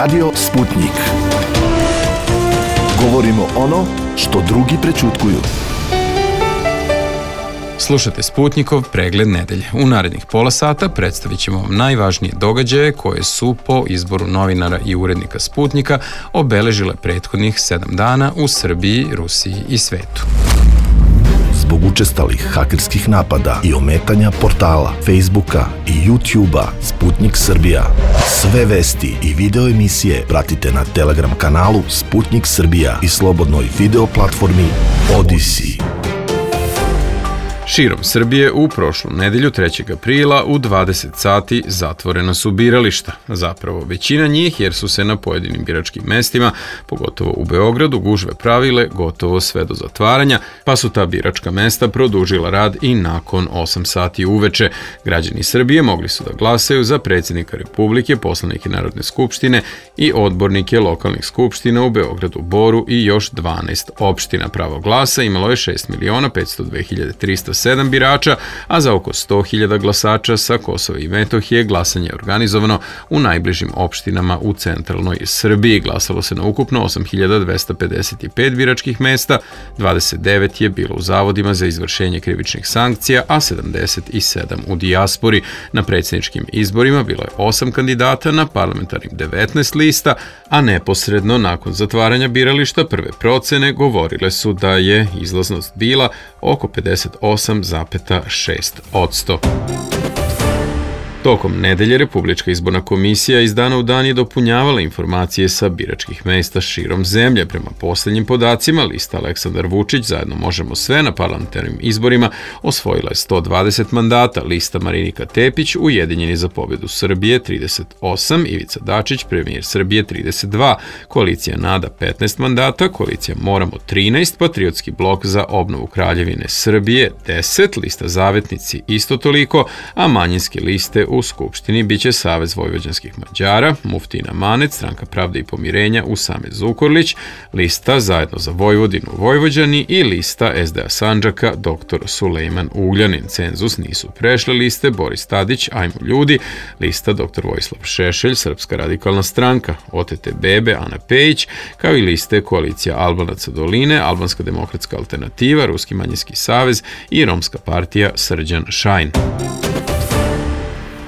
Radio Sputnik. Govorimo ono što drugi prećutkuju. Slušate Sputnikov pregled nedelje. U narednih pola sata predstavit ćemo vam najvažnije događaje koje su po izboru novinara i urednika Sputnika obeležile prethodnih 7 dana u Srbiji, Rusiji i svetu. Zbog učestalih hakerskih napada i ometanja portala, Facebooka i YouTubea Sputnik Srbija. Sve vesti i video emisije pratite na Telegram kanalu Sputnik Srbija i slobodnoj video platformi Odyssey. Širom Srbije u prošlu nedelju 3. aprila u 20 sati zatvorena su birališta. Zapravo većina njih jer su se na pojedinim biračkim mestima, pogotovo u Beogradu, gužve pravile gotovo sve do zatvaranja, pa su ta biračka mesta produžila rad i nakon 8 sati uveče. Građani Srbije mogli su da glasaju za predsjednika Republike, poslanike Narodne skupštine i odbornike lokalnih skupština u Beogradu, Boru i još 12 opština. Pravo glasa imalo je 6.502.307 birača, a za oko 100.000 glasača sa Kosova i Metohije glasanje je organizovano u najbližim opštinama u centralnoj Srbiji. Glasalo se na ukupno 8.255 biračkih mesta, 29 je bilo u zavodima za izvršenje krivičnih sankcija, a 77 u dijaspori. Na predsjedničkim izborima bilo je 8 kandidata, na parlamentarnim 19 lista, a neposredno nakon zatvaranja birališta prve procene govorile su da je izlaznost bila oko 58,6%. Tokom nedelje Republička izborna komisija iz dana u dan je dopunjavala informacije sa biračkih mesta širom zemlje. Prema posljednjim podacima, lista Aleksandar Vučić zajedno možemo sve na parlamentarnim izborima osvojila je 120 mandata, lista Marinika Tepić Ujedinjeni za pobedu Srbije 38, Ivica Dačić premijer Srbije 32, koalicija NADA 15 mandata, koalicija Moramo 13, Patriotski blok za obnovu Kraljevine Srbije 10, lista Zavetnici isto toliko, a manjinske liste u Skupštini biće Savez vojvođanskih Mađara, Muftina Manet, Stranka pravde i pomirenja Usame Zukorlić, lista Zajedno za Vojvodinu Vojvođani i lista SDA Sandžaka dr. Sulejman Ugljanin. Cenzus nisu prešle liste Boris Tadić, Ajmo ljudi, lista dr. Vojislav Šešelj, Srpska radikalna stranka, OTT Bebe, Ana Pejić, kao i liste Koalicija Albanaca Doline, Albanska demokratska alternativa, Ruski manjinski savez i Romska partija Srđan Šajn.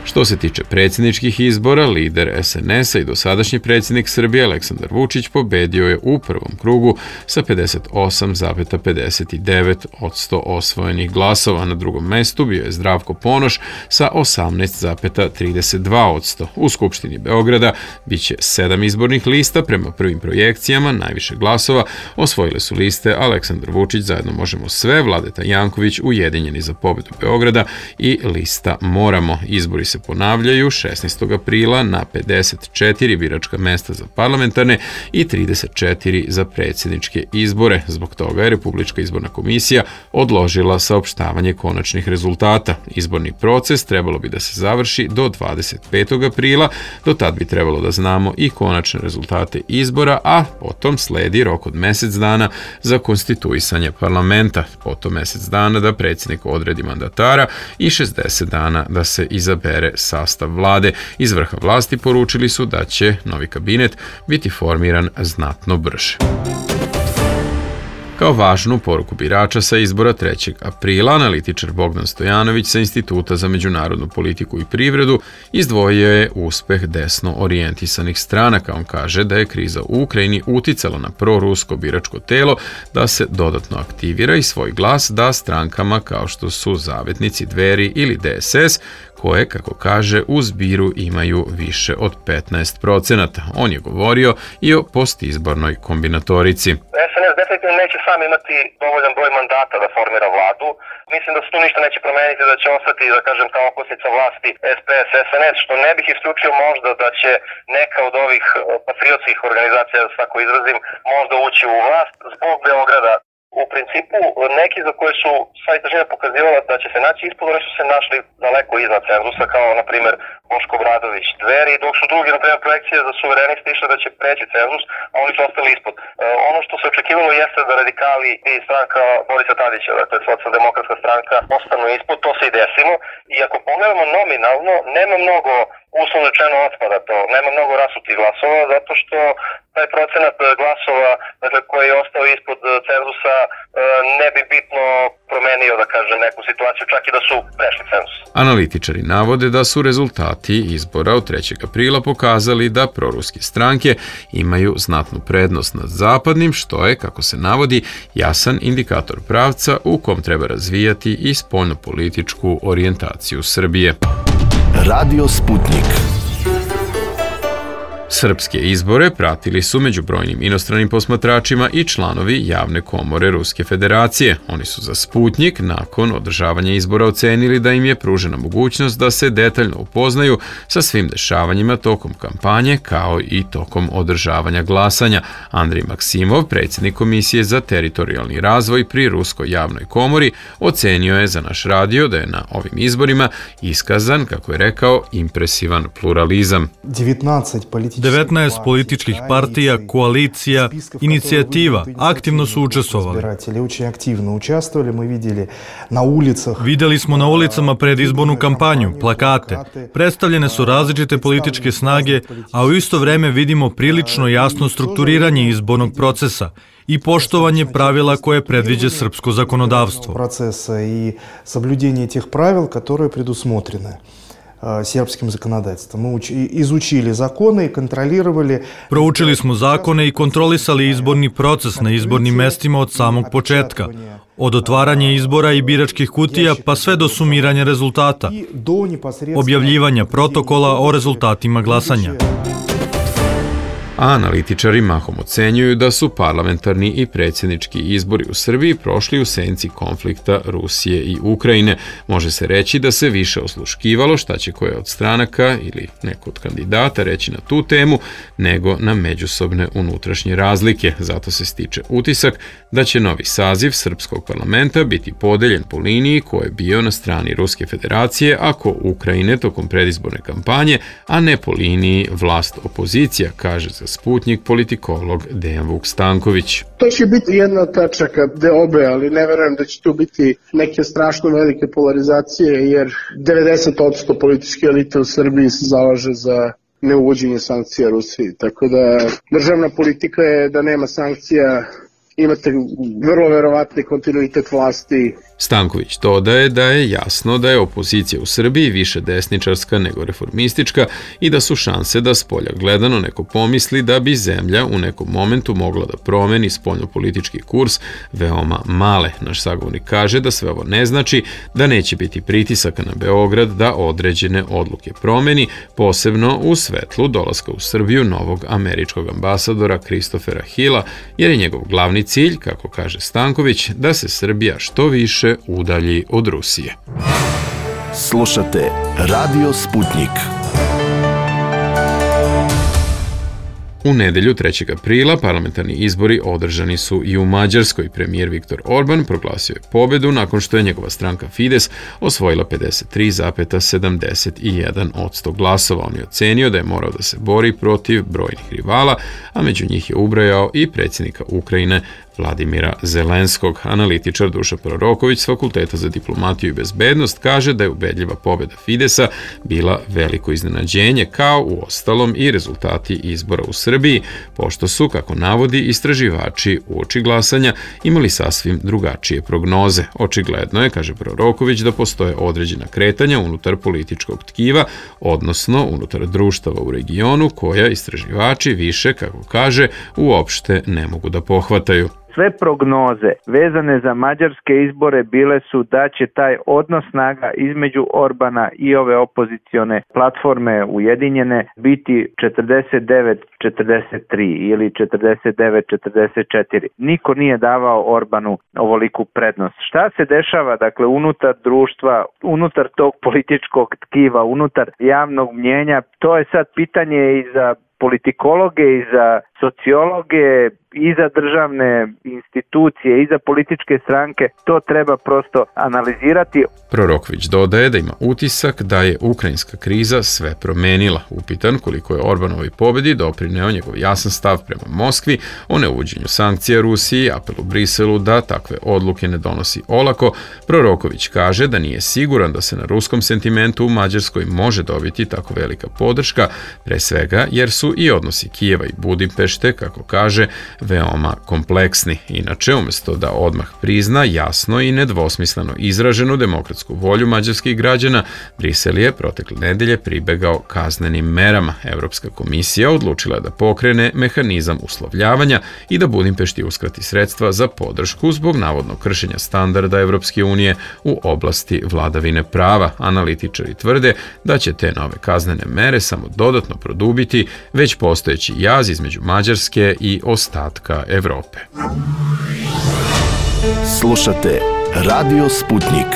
Što se tiče predsjedničkih izbora, lider SNS-a i dosadašnji predsjednik Srbije Aleksandar Vučić pobedio je u prvom krugu sa 58,59% osvojenih glasova. Na drugom mestu bio je Zdravko Ponoš sa 18,32%. U Skupštini Beograda biće 7 izbornih lista. Prema prvim projekcijama najviše glasova osvojile su liste Aleksandar Vučić zajedno možemo sve, Vladeta Janković Ujedinjeni za pobedu Beograda i lista Moramo. Izbori se ponavljaju 16. aprila na 54 biračka mesta za parlamentarne i 34 za predsjedničke izbore. Zbog toga je Republička izborna komisija odložila saopštavanje konačnih rezultata. Izborni proces trebalo bi da se završi do 25. aprila, do tad bi trebalo da znamo i konačne rezultate izbora, a potom sledi rok od mjesec dana za konstituisanje parlamenta, potom mjesec dana da predsjednik odredi mandatara i 60 dana da se izabere sastav vlade. Iz vrha vlasti poručili su da će novi kabinet biti formiran znatno brže. Kao važnu poruku birača sa izbora 3. aprila, analitičar Bogdan Stojanović sa Instituta za međunarodnu politiku i privredu izdvojio je uspeh desno orijentisanih stranaka. On kaže da je kriza u Ukrajini uticala na prorusko biračko telo da se dodatno aktivira i svoj glas da strankama kao što su Zavetnici, Dveri ili DSS, koje, kako kaže, u zbiru imaju više od 15%. On je govorio i o postizbornoj kombinatorici. SNS definitivno neće sam imati dovoljan broj mandata da formira vladu. Mislim da se tu ništa neće promeniti, da će ostati, da kažem, kao okosnica vlasti SPS, SNS, što ne bih isključio možda da će neka od ovih patriotskih organizacija, da se tako izrazim, možda ući u vlast zbog Beograda. U principu, neki za koje su sva istraživanja pokazivala da će se naći ispod, oni su se našli daleko iznad cenzusa, kao, na primjer, Boško Obradović, Dveri, dok su drugi, na primjer, projekcije za suvereniste išle da će preći cenzus, a oni su ostali ispod. Ono što se očekivalo jeste da radikali i stranka Borisa Tadića, dakle, socijaldemokratska stranka, ostanu ispod, to se i desilo. I ako pogledamo nominalno, nema mnogo uslovno rečeno otpada to. Nema mnogo rasutih glasova zato što taj procenat glasova, dakle, koji je ostao ispod cenzusa, ne bi bitno promenio, da kažem, neku situaciju, čak i da su prešli cenzus. Analitičari navode da su rezultati izbora od 3. aprila pokazali da proruske stranke imaju znatnu prednost nad zapadnim, što je, kako se navodi, jasan indikator pravca u kom treba razvijati i spoljnopolitičku orijentaciju Srbije. Radio Sputnik. Srpske izbore pratili su među brojnim inostranim posmatračima i članovi javne komore Ruske federacije. Oni su za Sputnik nakon održavanja izbora ocenili da im je pružena mogućnost da se detaljno upoznaju sa svim dešavanjima tokom kampanje kao i tokom održavanja glasanja. Andrej Maksimov, predsjednik Komisije za teritorijalni razvoj pri Ruskoj javnoj komori, ocenio je za naš radio da je na ovim izborima iskazan, kako je rekao, impresivan pluralizam. 19 političkih partija, koalicija, inicijativa aktivno su učestvovali. Vidjeli smo na ulicama pred izbornu kampanju, plakate. Predstavljene su različite političke snage, a u isto vreme vidimo prilično jasno strukturiranje izbornog procesa i poštovanje pravila koje predviđa srpsko zakonodavstvo. Procesa i соблюдение тех правил, которые предусмотрены srpskim zakonodavstvom. Мы изучили законы и контролировали. Proučili smo zakone i kontrolisali izborni proces na izbornim mestima od samog početka. Od otvaranja izbora i biračkih kutija pa sve do sumiranja rezultata, objavljivanja protokola o rezultatima glasanja. A analitičari mahom ocenjuju da su parlamentarni i predsjednički izbori u Srbiji prošli u senci konflikta Rusije i Ukrajine. Može se reći da se više osluškivalo šta će koja od stranaka ili neko od kandidata reći na tu temu, nego na međusobne unutrašnje razlike. Zato se stiče utisak da će novi saziv srpskog parlamenta biti podeljen po liniji ko je bio na strani Ruske federacije, ako Ukrajine tokom predizborne kampanje, a ne po liniji vlast-opozicija, kaže za Sputnik politikolog Dejan Vuk Stanković. To će biti jedna od tačaka deobe, ali ne verujem da će tu biti neke strašno velike polarizacije, jer 90% političke elite u Srbiji se zalaže za neuvođenje sankcija Rusiji. Tako da državna politika je da nema sankcija, imate vrlo verovatni kontinuitet vlasti. Stanković dodaje da je jasno da je opozicija u Srbiji više desničarska nego reformistička i da su šanse da spolja gledano neko pomisli da bi zemlja u nekom momentu mogla da promeni spoljnopolitički kurs veoma male. Naš sagovornik kaže da sve ovo ne znači da neće biti pritisaka na Beograd da određene odluke promeni, posebno u svetlu dolaska u Srbiju novog američkog ambasadora Christophera Hilla, jer je njegov glavni cilj, kako kaže Stanković, da se Srbija što više udalji od Rusije. Slušate Radio Sputnik. U nedelju 3. aprila parlamentarni izbori održani su i u Mađarskoj. Premijer Viktor Orban proglasio je pobedu nakon što je njegova stranka Fides osvojila 53,71% glasova. On je ocenio da je morao da se bori protiv brojnih rivala, a među njih je ubrajao i predsjednika Ukrajine Vladimira Zelenskog. Analitičar Dušan Proroković s Fakulteta za diplomatiju i bezbednost kaže da je ubedljiva pobjeda Fidesa bila veliko iznenađenje, kao u ostalom i rezultati izbora u Srbiji, pošto su, kako navodi, istraživači uoči glasanja imali sasvim drugačije prognoze. Očigledno je, kaže Proroković, da postoje određena kretanja unutar političkog tkiva, odnosno unutar društava u regionu, koja istraživači više, kako kaže, uopšte ne mogu da pohvataju. Sve prognoze vezane za mađarske izbore bile su da će taj odnos snaga između Orbana i ove opozicione platforme ujedinjene biti 49-43 ili 49-44. Niko nije davao Orbanu ovoliku prednost. Šta se dešava, dakle, unutar društva, unutar tog političkog tkiva, unutar javnog mnjenja, to je sad pitanje i za politikologe i za sociologe i za državne institucije i za političke stranke, to treba prosto analizirati. Proroković dodaje da ima utisak da je ukrajinska kriza sve promenila. Upitan koliko je Orbanovoj pobedi doprineo njegov jasan stav prema Moskvi o neuvođenju sankcija Rusiji i apelu Briselu da takve odluke ne donosi olako, Proroković kaže da nije siguran da se na ruskom sentimentu u Mađarskoj može dobiti tako velika podrška, pre svega jer su i odnosi Kijeva i Budimpešte, kako kaže, veoma kompleksni. Inače, umjesto da odmah prizna jasno i nedvosmisleno izraženu demokratsku volju mađarskih građana, Brisel je protekle nedelje pribegao kaznenim merama. Evropska komisija odlučila je da pokrene mehanizam uslovljavanja i da Budimpešti uskrati sredstva za podršku zbog navodnog kršenja standarda Evropske unije u oblasti vladavine prava. Analitičari tvrde da će te nove kaznene mere samo dodatno produbiti već postojeći jaz između Mađarske i ostatka Evrope. Slušate Radio Sputnik.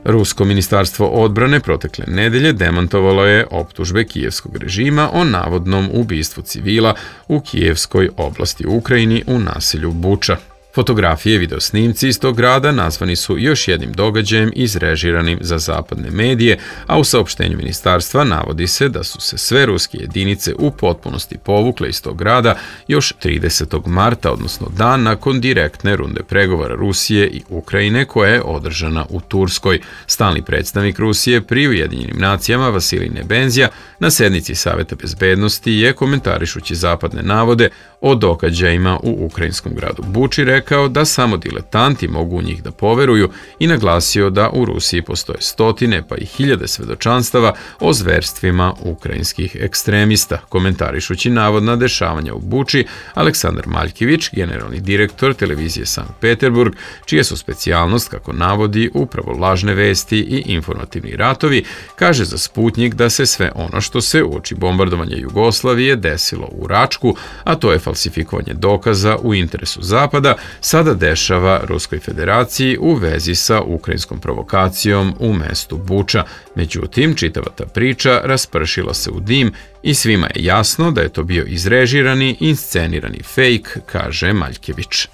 Rusko ministarstvo odbrane protekle nedelje demantovalo je optužbe kijevskog režima o navodnom ubistvu civila u kijevskoj oblasti u Ukrajini u naselju Buča. Fotografije i videosnimci iz tog grada nazvani su još jednim događajem izrežiranim za zapadne medije, a u saopštenju ministarstva navodi se da su se sve ruske jedinice u potpunosti povukle iz tog grada još 30. marta, odnosno dan nakon direktne runde pregovora Rusije i Ukrajine koja je održana u Turskoj. Stalni predstavnik Rusije pri Ujedinjenim nacijama Vasilij Nebenzija na sednici Saveta bezbednosti je, komentarišući zapadne navode o događajima u ukrajinskom gradu Buči, rekao da samo diletanti mogu u njih da poveruju i naglasio da u Rusiji postoje stotine pa i hiljade svedočanstava o zverstvima ukrajinskih ekstremista. Komentarišući navodna dešavanja u Buči, Aleksandar Maljkević, generalni direktor televizije Sankt Peterburg, čija su specijalnost, kako navodi, upravo lažne vesti i informativni ratovi, kaže za Sputnik da se sve ono što se uoči bombardovanja Jugoslavije desilo u Račku, a to je falsifikovanje dokaza u interesu Zapada, sada dešava Ruskoj federaciji u vezi sa ukrajinskom provokacijom u mestu Buča. Međutim, čitava ta priča raspršila se u dim i svima je jasno da je to bio izrežirani, inscenirani fejk, kaže Maljkević.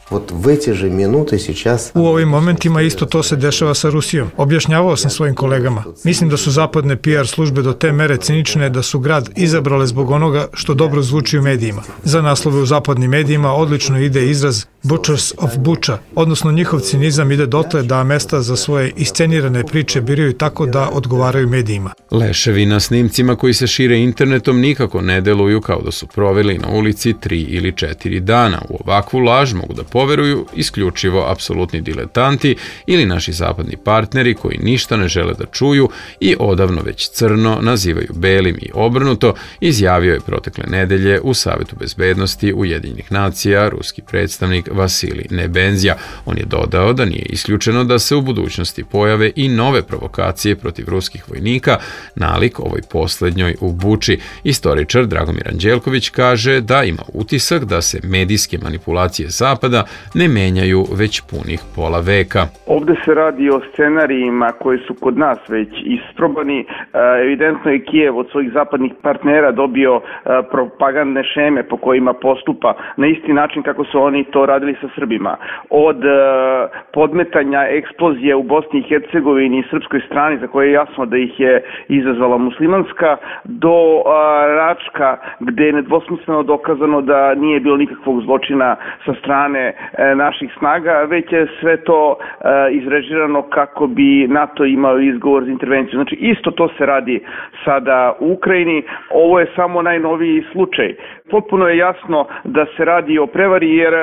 U ovim momentima isto to se dešava sa Rusijom. Objašnjavao sam svojim kolegama. Mislim da su zapadne PR službe do te mere cinične da su grad izabrale zbog onoga što dobro zvuči u medijima. Za naslove u zapadnim medijima odlično ide izraz Butchers of Bucha, odnosno njihov cinizam ide dotle da mesta za svoje iscenirane priče biraju tako da odgovaraju medijima. Leševi na snimcima koji se šire internetom nikako ne deluju kao da su proveli na ulici 3 ili 4 dana. U ovakvu laž mogu da poveruju isključivo apsolutni diletanti ili naši zapadni partneri koji ništa ne žele da čuju i odavno već crno nazivaju belim i obrnuto, izjavio je protekle nedelje u Savetu bezbednosti Ujedinjenih nacija ruski predstavnik Vasilij Nebenzija. On je dodao da nije isključeno da se u budućnosti pojave i nove provokacije protiv ruskih vojnika, nalik ovoj poslednjoj u Buči. Istoričar Dragomir Anđelković kaže da ima utisak da se medijske manipulacije Zapada ne menjaju već punih pola veka. Ovde se radi o scenarijima koji su kod nas već isprobani. Evidentno je Kijev od svojih zapadnih partnera dobio propagandne šeme po kojima postupa na isti način kako su oni to radili sa Srbima. Od podmetanja eksplozije u Bosni i Hercegovini i srpskoj strani, za koje je jasno da ih je izazvala muslimanska, do Račka, gde je nedvosmisleno dokazano da nije bilo nikakvog zločina sa strane naših snaga, već je sve to izrežirano kako bi NATO imao izgovor za intervenciju. Znači, isto to se radi sada u Ukrajini. Ovo je samo najnoviji slučaj. Potpuno je jasno da se radi o prevari, jer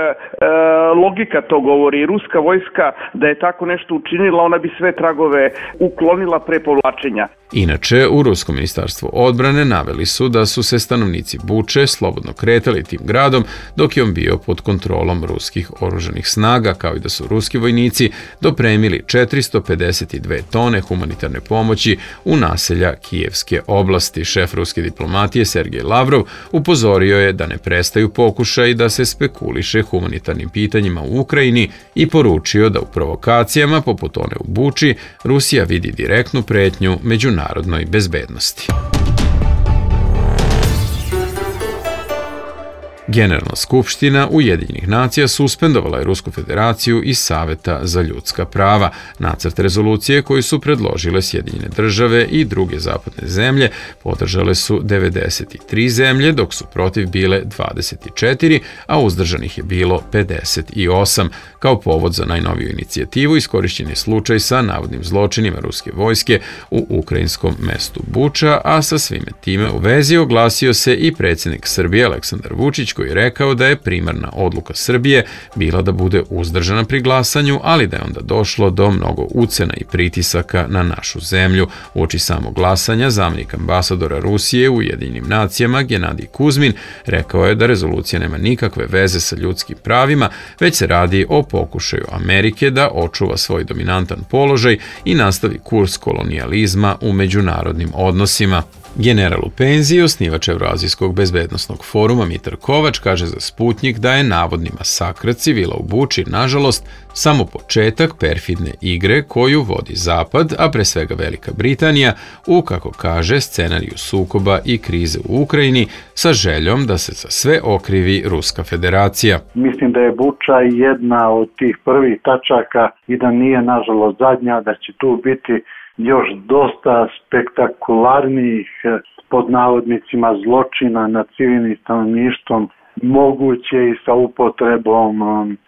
logika to govori. Ruska vojska da je tako nešto učinila, ona bi sve tragove uklonila pre povlačenja. Inače, u Ruskom ministarstvu odbrane naveli su da su se stanovnici Buče slobodno kretali tim gradom dok je on bio pod kontrolom ruskih oružanih snaga, kao i da su ruski vojnici dopremili 452 tone humanitarne pomoći u naselja Kijevske oblasti. Šef ruske diplomatije Sergej Lavrov upozorio je da ne prestaju pokušaj da se spekuliše humanitarnim pitanjima u Ukrajini i poručio da u provokacijama poput one u Buči Rusija vidi direktnu pretnju međunarodnoj bezbednosti. Generalna skupština Ujedinjenih nacija suspendovala je Rusku federaciju iz Saveta za ljudska prava. Nacrt rezolucije koju su predložile Sjedinjene države i druge zapadne zemlje podržale su 93 zemlje, dok su protiv bile 24, a uzdržanih je bilo 58. Kao povod za najnoviju inicijativu iskorišćen je slučaj sa navodnim zločinima ruske vojske u ukrajinskom mestu Buča, a sa svime time u vezi oglasio se i predsjednik Srbije Aleksandar Vučić, koji je rekao da je primarna odluka Srbije bila da bude uzdržana pri glasanju, ali da je onda došlo do mnogo ucena i pritisaka na našu zemlju. Uoči samog glasanja, zamjenik ambasadora Rusije u Ujedinjenim nacijama Genadij Kuzmin rekao je da rezolucija nema nikakve veze sa ljudskim pravima, već se radi o pokušaju Amerike da očuva svoj dominantan položaj i nastavi kurs kolonijalizma u međunarodnim odnosima. General u penziji, osnivač Evroazijskog bezbednosnog foruma Mitar Kovač kaže za Sputnjik da je navodni masakr civila u Buči, nažalost, samo početak perfidne igre koju vodi Zapad, a pre svega Velika Britanija, u, kako kaže, scenariju sukoba i krize u Ukrajini sa željom da se za sve okrivi Ruska federacija. Mislim da je Buča jedna od tih prvih tačaka i da nije, nažalost, zadnja, da će tu biti još dosta spektakularnijih pod navodnicima zločina nad civilnim stanovništvom, moguće i sa upotrebom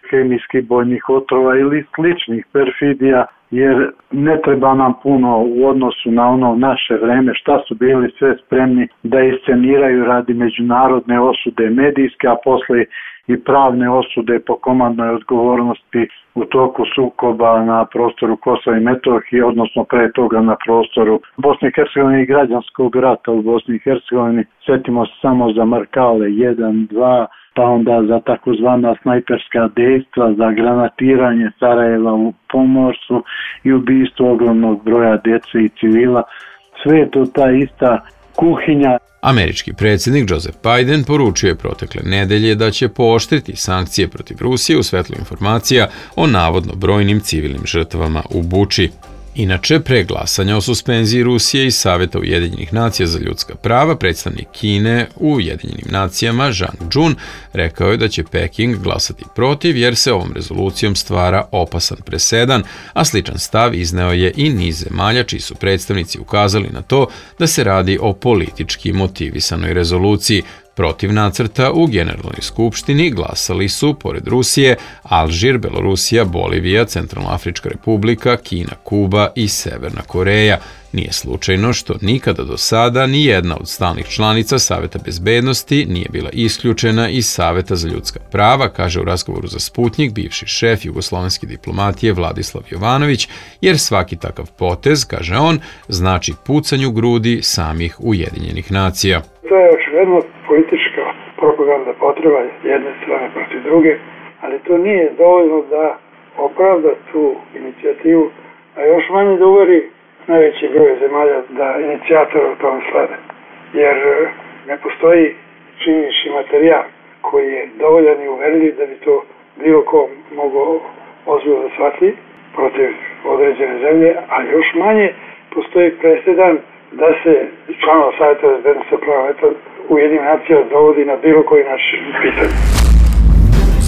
hemijskih bojnih otrova ili sličnih perfidija, jer ne treba nam puno u odnosu na ono naše vreme šta su bili sve spremni da isceniraju radi međunarodne osude medijske, a posle i pravne osude po komandnoj odgovornosti u toku sukoba na prostoru Kosova i Metohije, odnosno pre toga na prostoru Bosne i Hercegovine i građanskog rata u Bosni i Hercegovini. Sjetimo se samo za Markale 1, 2, pa onda za takozvana snajperska dejstva, za granatiranje Sarajeva u pomorstvu i ubistvo ogromnog broja djece i civila. Sve je to ta ista kuhinja. Američki predsjednik Joseph Biden poručio je protekle nedelje da će pooštriti sankcije protiv Rusije u svetlu informacija o navodno brojnim civilnim žrtvama u Buči. Inače, pre glasanja o suspenziji Rusije iz Saveta Ujedinjenih nacija za ljudska prava, predstavnik Kine u Ujedinjenim nacijama Zhang Jun rekao je da će Peking glasati protiv jer se ovom rezolucijom stvara opasan presedan, a sličan stav izneo je i niz zemalja čiji su predstavnici ukazali na to da se radi o politički motivisanoj rezoluciji. Protiv nacrta u Generalnoj skupštini glasali su, pored Rusije, Alžir, Belorusija, Bolivija, Centralnoafrička republika, Kina, Kuba i Severna Koreja. Nije slučajno što nikada do sada ni jedna od stalnih članica Saveta bezbednosti nije bila isključena iz Saveta za ljudska prava, kaže u razgovoru za Sputnjik bivši šef jugoslovenske diplomatije Vladislav Jovanović, jer svaki takav potez, kaže on, znači pucanju grudi samih Ujedinjenih nacija. To je očigledno politička propaganda potreba jedne strane protiv druge, ali to nije dovoljno da opravda tu inicijativu, a još manje da uveri najveći broj zemalja da inicijator u tom slede. Jer ne postoji činjenični materijal koji je dovoljan i uverljiv da bi to bilo ko mogao ozbiljno da shvati protiv određene zemlje, a još manje postoji presedan da se članova Saveta bezbednosti prava Ujedinjenih nacija dovodi na bilo koji način pitanje.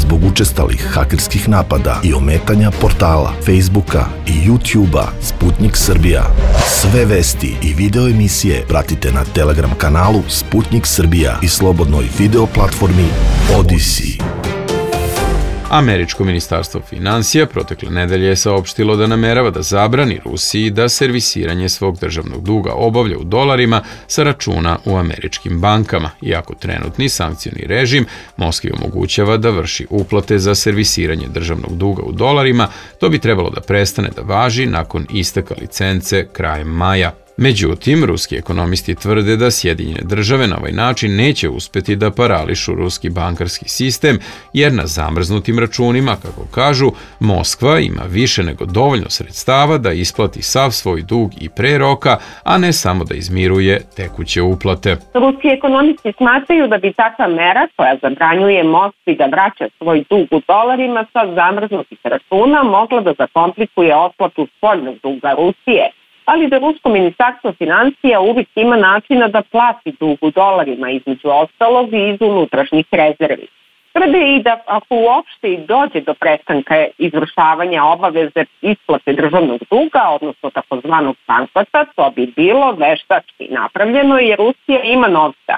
Zbog učestalih hakerskih napada i ometanja portala, Facebooka i YouTubea Sputnik Srbija. Sve vesti i video emisije pratite na Telegram kanalu Sputnik Srbija i slobodnoj video platformi Odyssey. Američko ministarstvo finansija protekle nedelje je saopštilo da namerava da zabrani Rusiji da servisiranje svog državnog duga obavlja u dolarima sa računa u američkim bankama, iako trenutni sankcioni režim Moskvi omogućava da vrši uplate za servisiranje državnog duga u dolarima, to bi trebalo da prestane da važi nakon isteka licence krajem maja. Međutim, ruski ekonomisti tvrde da Sjedinjene države na ovaj način neće uspeti da parališu ruski bankarski sistem, jer na zamrznutim računima, kako kažu, Moskva ima više nego dovoljno sredstava da isplati sav svoj dug i pre roka, a ne samo da izmiruje tekuće uplate. Ruski ekonomisti smatraju da bi takva mera koja zabranjuje Moskvi da vraća svoj dug u dolarima sa zamrznutih računa mogla da zakomplikuje otplatu spoljnog duga Rusije. ali da rusko ministarstvo financija uvijek ima načina da plati dug u dolarima, između ostalog i iz unutrašnjih rezervi. Tvrde i da ako uopšte i dođe do prestanka izvršavanja obaveze isplate državnog duga, odnosno takozvanog bankrota, to bi bilo veštački napravljeno jer Rusija ima novca.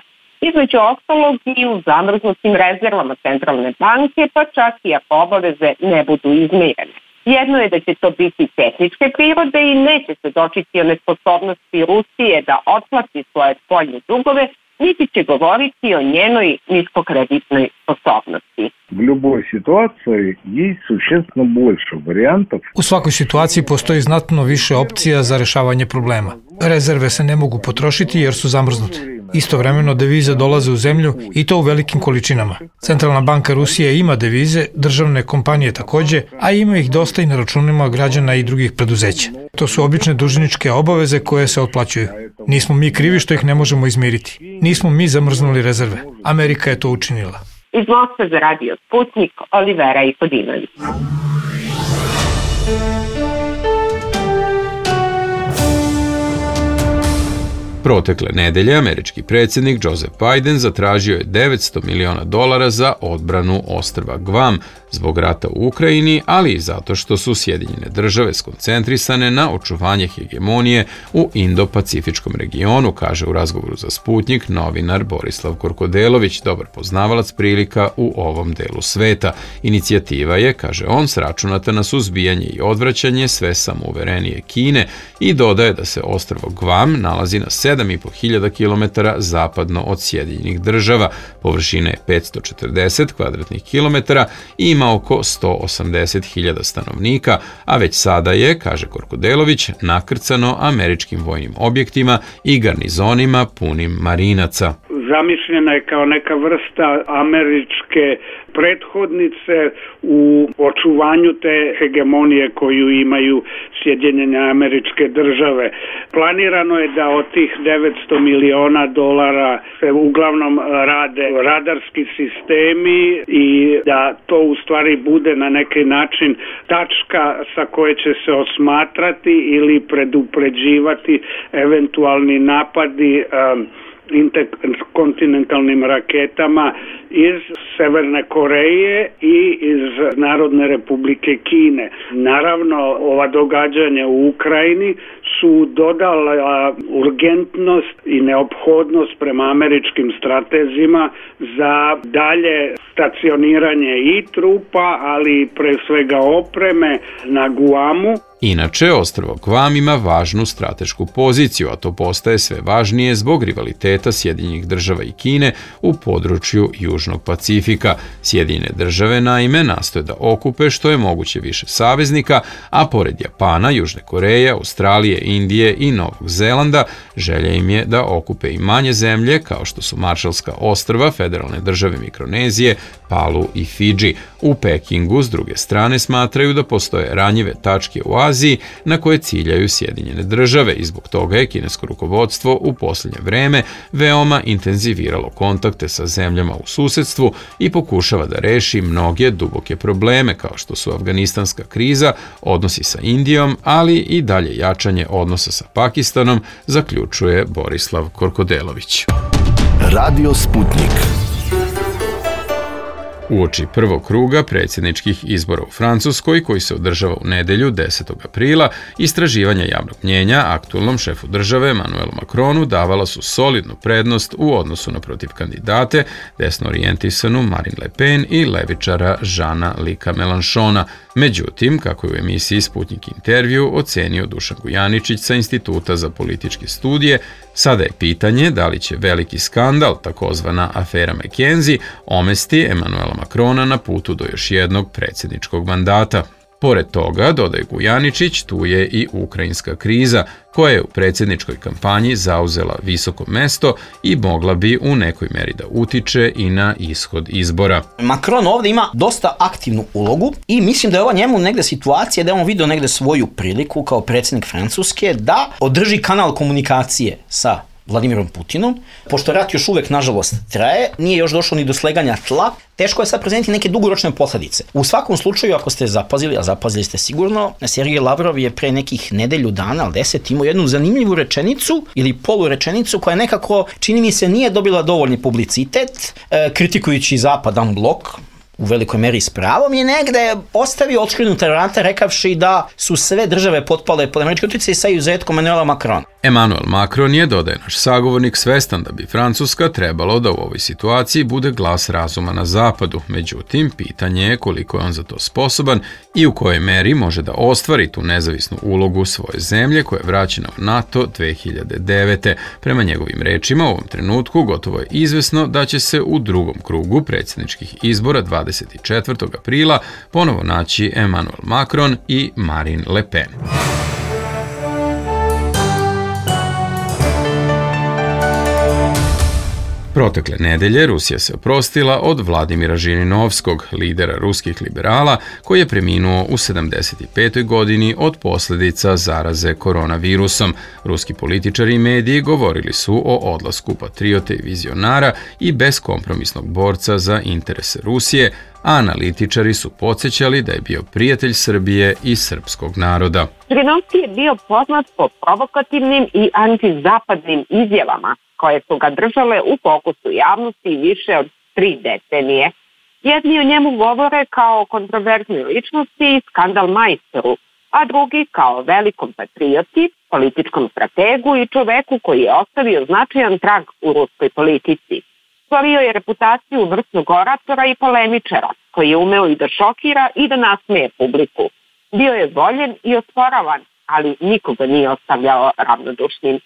Između ostalog i u zamrznutim rezervama centralne banke, pa čak i ako obaveze ne budu izmirene. Jedno je da će to biti tehničke prirode i neće se dočiti o nesposobnosti Rusije da otplati svoje spoljne dugove, niti će govoriti o njenoj niskokreditnoj sposobnosti. U svakoj situaciji postoji znatno više opcija za rešavanje problema. Rezerve se ne mogu potrošiti jer su zamrznute. Istovremeno devize dolaze u zemlju i to u velikim količinama. Centralna banka Rusije ima devize, državne kompanije takođe, a ima ih dosta i na računima građana i drugih preduzeća. To su obične dužničke obaveze koje se otplaćuju. Nismo mi krivi što ih ne možemo izmiriti. Nismo mi zamrznuli rezerve. Amerika je to učinila. Iz Moskve za radio Sputnik, Olivera Ikodinović. Protekle nedelje američki predsjednik Joseph Biden zatražio je $900 miliona za odbranu ostrva Guam zbog rata u Ukrajini, ali i zato što su Sjedinjene države skoncentrisane na očuvanje hegemonije u Indo-Pacifičkom regionu, kaže u razgovoru za Sputnik novinar Borislav Korkodelović, dobar poznavalac prilika u ovom delu sveta. Inicijativa je, kaže on, sračunata na suzbijanje i odvraćanje sve samouverenije Kine i dodaje da se ostrvo Guam nalazi na 7.500 km zapadno od Sjedinjenih država, površine je 540 kvadratnih kilometara i ima oko 180.000 stanovnika, a već sada je, kaže Korkodelović, nakrcano američkim vojnim objektima i garnizonima punim marinaca. Zamišljena je kao neka vrsta američke prethodnice u očuvanju te hegemonije koju imaju Sjedinjene Američke Države. Planirano je da od tih $900 miliona se uglavnom rade radarski sistemi i da to u stvari bude na neki način tačka sa koje će se osmatrati ili predupređivati eventualni napadi interkontinentalnim raketama iz Severne Koreje i iz Narodne Republike Kine. Naravno, ova događanja u Ukrajini su dodala urgentnost i neophodnost prema američkim stratezima za dalje stacioniranje i trupa, ali pre svega opreme na Guamu. Inače, ostrvo Guam ima važnu stratešku poziciju, a to postaje sve važnije zbog rivaliteta Sjedinjenih država i Kine u području Južnog Pacifika. Sjedinjene države, naime, nastoje da okupe što je moguće više saveznika, a pored Japana, Južne Koreje, Australije, Indije i Novog Zelanda, želja im je da okupe i manje zemlje, kao što su Maršalska ostrva, federalne države Mikronezije, Palu i Fidži. U Pekingu, s druge strane, smatraju da postoje ranjive tačke u Aziji na koje ciljaju Sjedinjene države i zbog toga je kinesko rukovodstvo u posljednje vreme veoma intenziviralo kontakte sa zemljama u susedstvu i pokušava da reši mnoge duboke probleme kao što su afganistanska kriza, odnosi sa Indijom, ali i dalje jačanje odnosa sa Pakistanom, zaključuje Borislav Korkodelović. Radio Sputnik. Uoči prvog kruga predsjedničkih izbora u Francuskoj, koji se održava u nedelju 10. aprila, istraživanja javnog mnjenja aktualnom šefu države Emmanuelu Macronu davala su solidnu prednost u odnosu na protiv kandidate, desno orijentisanu Marine Le Pen i levičara Jeana-Luca Mélenchona. Međutim, kako je u emisiji Sputnik intervju ocenio Dušan Gujaničić sa Instituta za političke studije, sada je pitanje da li će veliki skandal, takozvana afera McKenzie, omesti Emmanuela Macrona na putu do još jednog predsjedničkog mandata. Pored toga, dodaje Gujaničić, tu je i ukrajinska kriza, koja je u predsjedničkoj kampanji zauzela visoko mesto i mogla bi u nekoj meri da utiče i na ishod izbora. Macron ovdje ima dosta aktivnu ulogu i mislim da je ova njemu negde situacija da je on vidio negde svoju priliku kao predsjednik Francuske da održi kanal komunikacije sa Vladimirom Putinom. Pošto rat još uvek, nažalost, traje, nije još došlo ni do sleganja tla, teško je sad prezeniti neke dugoročne posledice. U svakom slučaju, ako ste zapazili, a zapazili ste sigurno, Sergej Lavrov je pre nekih nedelju dana, ali 10, imao jednu zanimljivu rečenicu ili polurečenicu koja nekako, čini mi se, nije dobila dovoljni publicitet, kritikujući Zapadan blok, u velikoj meri s pravom, je negde ostavio otškrinuta vrata rekavši da su sve države potpale pod američki uticaj sa izuzetkom Emmanuela Macrona. Emmanuel Macron je, dodaje naš sagovornik, svestan da bi Francuska trebalo da u ovoj situaciji bude glas razuma na zapadu. Međutim, pitanje je koliko je on za to sposoban i u kojoj meri može da ostvari tu nezavisnu ulogu svoje zemlje koja je vraćena u NATO 2009. Prema njegovim rečima, u ovom trenutku gotovo je izvesno da će se u drugom krugu predsjedničkih izbora 24. aprila ponovo naći Emmanuel Macron i Marine Le Pen. Protekle nedelje Rusija se oprostila od Vladimira Žirinovskog, lidera ruskih liberala, koji je preminuo u 75. godini od posljedica zaraze koronavirusom. Ruski političari i mediji govorili su o odlasku patriote i vizionara i beskompromisnog borca za interese Rusije, a analitičari su podsjećali da je bio prijatelj Srbije i srpskog naroda. Žirinovski je bio poznat po provokativnim i antizapadnim izjavama koje su ga držale u fokusu javnosti više od 3 decenije. Jedni o njemu govore kao kontroverznoj ličnosti i skandal majstoru, a drugi kao velikom patrioti, političkom strategu i čoveku koji je ostavio značajan trag u ruskoj politici. Stvorio je reputaciju vrsnog oratora i polemičara, koji je umeo i da šokira i da nasmeje publiku. Bio je voljen i osporavan, ali nikoga nije ostavljao ravnodušnim.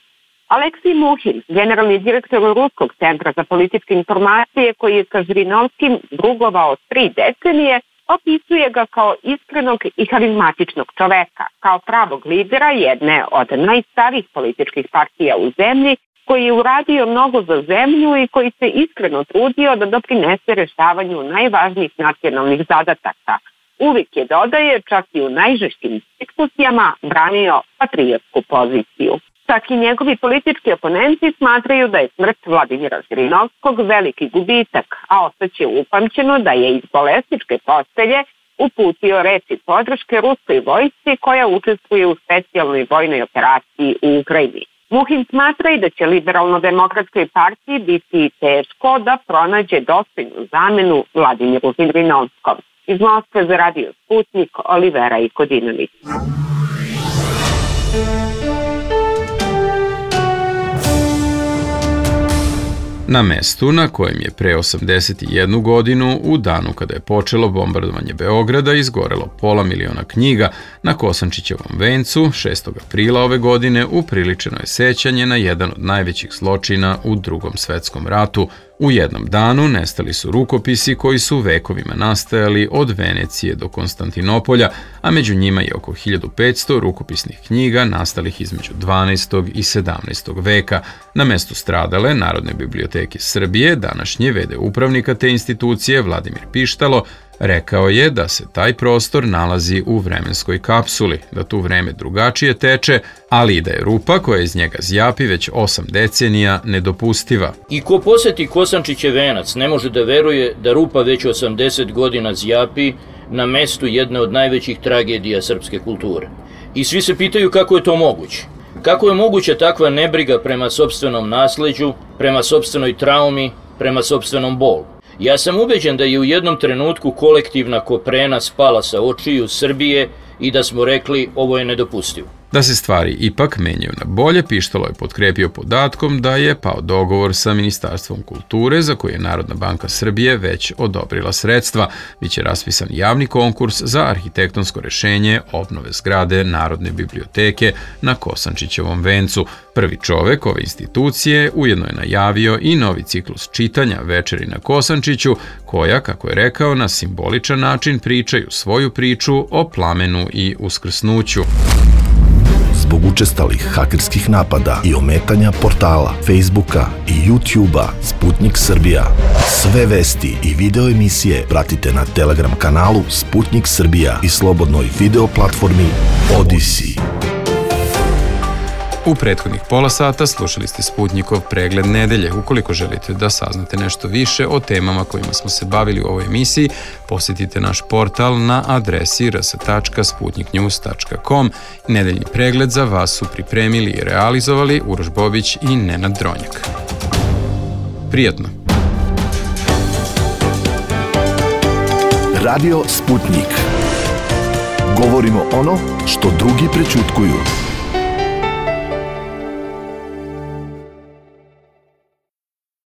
Aleksij Muhin, generalni direktor Ruskog centra za političke informacije, koji je sa Žirinovskim drugovao 3 decenije, opisuje ga kao iskrenog i harizmatičnog čoveka, kao pravog lidera jedne od najstarijih političkih partija u zemlji, koji je uradio mnogo za zemlju i koji se iskreno trudio da doprinese rešavanju najvažnijih nacionalnih zadataka. Uvijek je, dodaje, čak i u najžešćim diskusijama branio patriotsku poziciju. Čak i njegovi politički oponenti smatraju da je smrt Vladimira Žirinovskog veliki gubitak, a ostaće upamćeno da je iz bolesničke postelje uputio reči podrške ruskoj vojsci koja učestvuje u specijalnoj vojnoj operaciji u Ukrajini. Muhin smatra i da će liberalno-demokratskoj partiji biti teško da pronađe dostojnu zamenu Vladimiru Žirinovskom. Iz Moskve za Radio Sputnik, Olivera Ikodinović. Na mestu na kojem je pre 81 godinu, u danu kada je počelo bombardovanje Beograda, izgorelo 500.000 knjiga, na Kosančićevom vencu 6. aprila ove godine upriličeno je sećanje na jedan od najvećih zločina u Drugom svetskom ratu. U jednom danu nestali su rukopisi koji su vekovima nastajali od Venecije do Konstantinopolja, a među njima je oko 1500 rukopisnih knjiga nastalih između 12. i 17. veka. Na mestu stradale Narodne biblioteke Srbije, današnji v.d. upravnika te institucije Vladimir Pištalo, rekao je da se taj prostor nalazi u vremenskoj kapsuli, da tu vreme drugačije teče, ali i da je rupa koja iz njega zjapi već 8 decenija nedopustiva. I ko poseti Kosančićev venac ne može da veruje da rupa već 80 godina zjapi na mestu jedne od najvećih tragedija srpske kulture. I svi se pitaju kako je to moguće. Kako je moguća takva nebriga prema sopstvenom nasleđu, prema sopstvenoj traumi, prema sopstvenom bolu? Ja sam ubeđen da je u jednom trenutku kolektivna koprena spala sa očiju Srbije i da smo rekli ovo je nedopustivo. Da se stvari ipak menjaju na bolje, Pištalo je potkrepio podatkom da je pao dogovor sa Ministarstvom kulture za koje je Narodna banka Srbije već odobrila sredstva. Biće raspisan javni konkurs za arhitektonsko rešenje obnove zgrade Narodne biblioteke na Kosančićevom vencu. Prvi čovek ove institucije ujedno je najavio i novi ciklus čitanja Večeri na Kosančiću, koja, kako je rekao, na simboličan način pričaju svoju priču o plamenu i uskrsnuću. Zbog učestalih hakerskih napada i ometanja portala, Facebooka i YouTubea Sputnik Srbija. Sve vesti i video emisije pratite na Telegram kanalu Sputnik Srbija i slobodnoj video platformi Odyssey. U prethodnih pola sata slušali ste Sputnikov pregled nedelje. Ukoliko želite da saznate nešto više o temama kojima smo se bavili u ovoj emisiji, posjetite naš portal na adresi rs.sputniknews.com. Nedeljni pregled za vas su pripremili i realizovali Uroš Bobić i Nenad Dronjak. Prijatno! Radio Sputnik. Govorimo ono što drugi prećutkuju.